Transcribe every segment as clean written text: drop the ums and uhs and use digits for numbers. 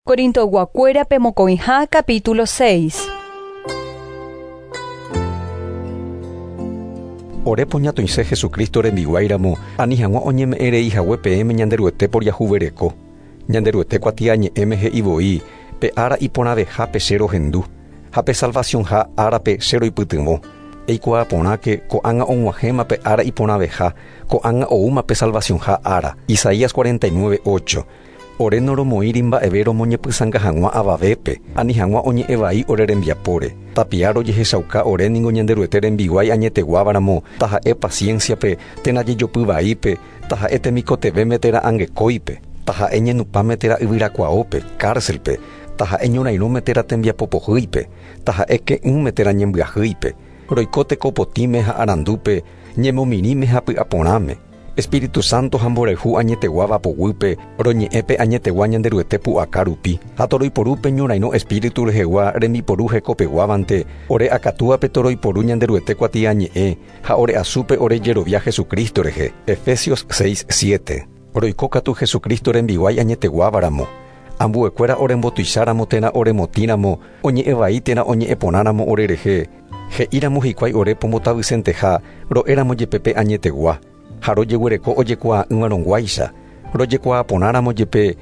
Corintoyguakuérape mokõiha capítulo 6. Ore poñatoĩse Jesucristo rembiguái ramo, ani hag̃ua oñeme'ẽ rei hague peẽme Ñanderuete poriahuvereko. Ñanderuete kuatiañe'ẽme he'i voi, Pe ára iporãvehápe che rohendu, ha pe salvacionha árape che roipytyvõ. Eikuaa porãke, ko'ág̃a og̃uahẽma pe ára iporãveha, ko'ág̃a oúma pe salvacionha ára. Isaías 49, 8. Ore noromoĩri mba'eve romoñepysãnga hag̃ua avavépe, ani hag̃ua oñe'ẽ vai ore rembiapóre. Tapia rojehechauka ore ningo Ñanderuete rembiguái añeteguáva ramo, taha'e paciencia-pe, térã jejopy vaípe, taha'e temikotevẽme térã angekóipe, taha'e ñenupãme térã yvyrakuaópe, cárcel-pe, taha'e ñorairõme térã tembiapo pohýipe, taha'e ke'ỹme térã ñembyahýipe, roiko teko potĩme ha arandúpe, ñemomirĩme ha py'aporãme. Espíritu Santo ha mborayhu añeteguáva poguýpe, roñe'ẽ pe añetegua Ñanderuete pu'aka rupi, ha toroiporu pe ñorairõ Espíritu rehegua rembiporu hekopeguávante, ore akatúape toroiporu Ñanderuete kuatiañe'ẽ ha ore asúpe ore jerovia Jesucristo rehe. Efesios 6, 7. Roiko katu Jesucristo rembiguái añeteguáva ramo. Ambuekuéra orembotuicháramo térã oremotĩramo, oñe'ẽ vai térã oñe'ẽ porãramo orerehe, He'íramo hikuái ore pombotavysenteha, ro'éramo jepe pe añetegua, ha rojeguereko ojekuaa'ỹvarõguáicha, rojekuaa porãramo jepe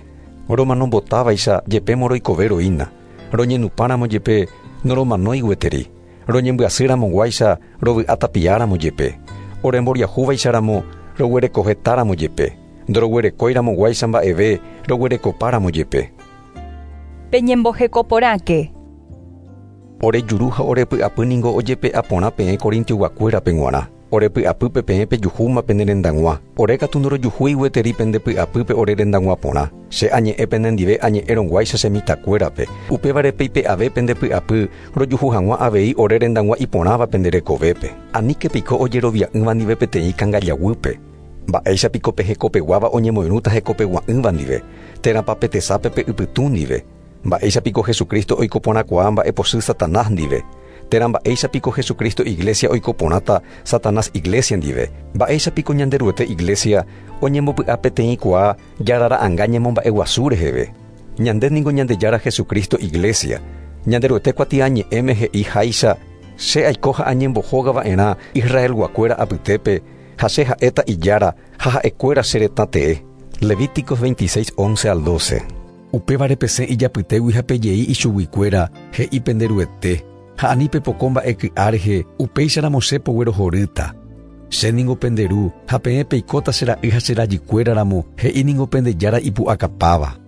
romanombotávaicha jepémo roikove roína, roñenupãramo jepe noromanói gueteri, roñembyasýramoguáicha rovy'a tapiáramo jepe, oremboriahúvaicharamo roguerekohetáramo jepe, ndoroguerekóiramoguáicha mba'eve roguerekopáramo jepe. Peñemboheko porãke. Ore juru ha ore py'apy ningo ojepe'a porã peẽ Corintioguakuérape g̃uarã. Ore py'apýpe peẽ pejuhúma pene rendag̃ua. Ore katu ndorojuhúi gueteri pende py'apýpe ore rendag̃ua porã. Che añe'ẽ penendive añe'ẽrõguáicha che mitãkuérape. Upévare peipe'ave pende py'apy rojuhu hag̃ua avei ore rendag̃ua iporãva pende rekovépe. Aníke piko ojerovia'ỹva ndive peteĩ kangajaguýpe. Mba'éicha piko pe hekopeguáva oñemoirũta hekopegua'ỹva ndive, térãpa pe tesápe pe ypytũ ndive? Mba'éicha piko Jesucristo oiko porãkuaa mba'epochy Satanás ndive? Térã mba'éicha piko Jesucristo iglésia oiko porãta Satanás iglésia ndive? Mba'éicha piko Ñanderuete iglésia oñembopy'apeteĩkuaa Jára ra'anga ñemomba'eguasu reheve? Ñande ningo Ñandejára Jesucristo iglésia. Ñanderuete kuatiañe'ẽme he'i háicha, Che aiko ha añembohóga va'erã Israelguakuéra apytépe, ha che ha'éta Ijára, ha ha'ekuéra che retã tee. Levíticos 26, 11 al 12. Upévare pesẽ ijapytégui ha pejei ichuguikuéra, he'i pende Ruete, ha ani pepoko mba'e ky'a rehe, upéicharamo che poguerohorýta. Che ningo pende Ru, ha peẽ peikóta che ra'y ha che rajykuéra ramo, he'i ningo pende Jára ipu'akapáva.